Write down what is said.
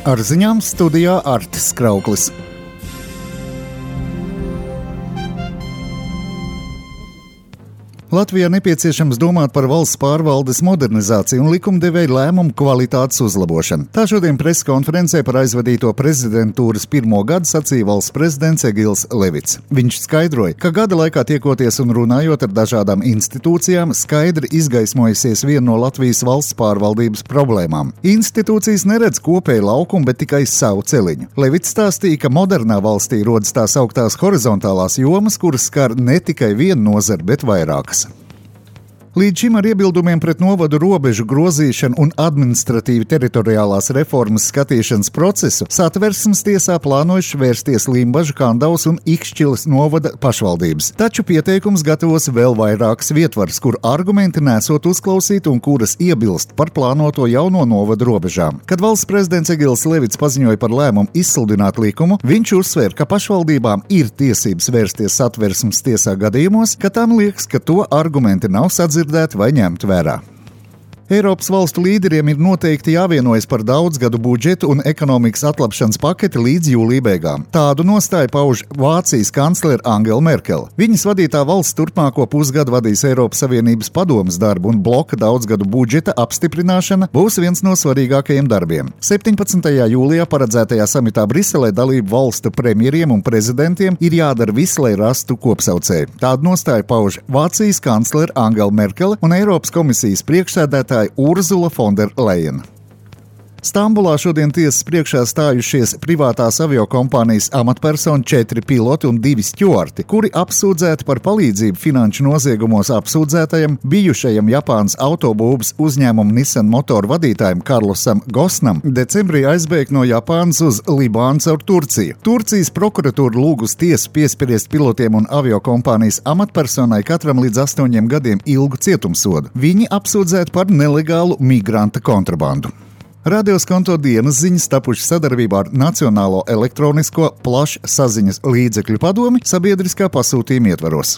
Ar ziņām studijā Artis Krauklis. Latvijā nepieciešams domāt par valsts pārvaldes modernizāciju un likumdevēju lēmumu kvalitātes uzlabošanu. Tā šodien preskonferencē par aizvadīto prezidentūras pirmo gadu sacīja valsts prezidents Egils Levits. Viņš skaidroja, ka gada laikā tiekoties un runājot ar dažādām institūcijām, skaidri izgaismojusies viena no Latvijas valsts pārvaldības problēmām. Institūcijas neredz kopēju laukumu, bet tikai savu celiņu. Levits stāstīja, ka modernā valstī rodas tās augtās horizontālās jomas, kuras skar ne tikai vienu nozari, bet vairākas. Līdz šim ar iebildumiem pret novadu robežu grozīšanu un administratīvi teritoriālās reformas skatīšanas procesu Satversmes tiesā plānojuši vērsties Limbažu, Kandavas un Ikšķiles novada pašvaldības. Taču pieteikums gatavos vēl vairākas vietvaras, kur argumenti nesot uzklausīti un kuras iebilst par plānoto jauno novadu robežām. Kad valsts prezidents Egils Levits paziņoja par lēmumu izsludināt likumu, viņš uzsvēra, ka pašvaldībām ir tiesības vērsties Satversmes tiesā gadījumos, ka tam liekas, ka to argumenti nav sadzirdēti vai ņemt vērā. Eiropas valstu līderiem ir noteikti jāvienojas par daudzgadu budžetu un ekonomikas atlapšanas paketi līdz jūlija beigām. Tādu nostāju pauž Vācijas kanclere Angela Merkele. Viņas vadītā valsts turpmāko pusgadu vadīs Eiropas Savienības padomes darbu, un bloka daudzgadu budžeta apstiprināšana būs viens no svarīgākajiem darbiem. 17. jūlijā paredzētajā samitā Briselē dalību valstu premjeriem un prezidentiem ir jādara viss, lai rastu kopsaucēju. Tādu nostāju pauž Vācijas kanclere Angela Merkele un Eiropas komisijas priekšsēdētāja Urzula von der Leyen. Stambulā šodien tiesas priekšā stājušies privātās aviokompānijas amatpersoni 4 piloti un 2 stjuarti, kuri apsūdzēti par palīdzību finanšu noziegumos apsūdzētajam bijušajam Japānas autobūves uzņēmuma Nissan motoru vadītājam Karlosam Gosnam decembrī aizbēgt no Japānas uz Libānu caur Turciju. Turcijas prokuratūra lūgus tiesu piespriest pilotiem un aviokompānijas amatpersonai katram līdz 8 gadiem ilgu cietumsodu. Viņi apsūdzēti par nelegālu migranta kontrabandu. Radioskonto dienas ziņas tapuši sadarbībā ar Nacionālo elektronisko plašsaziņas līdzekļu padomi sabiedriskā pasūtījuma ietvaros.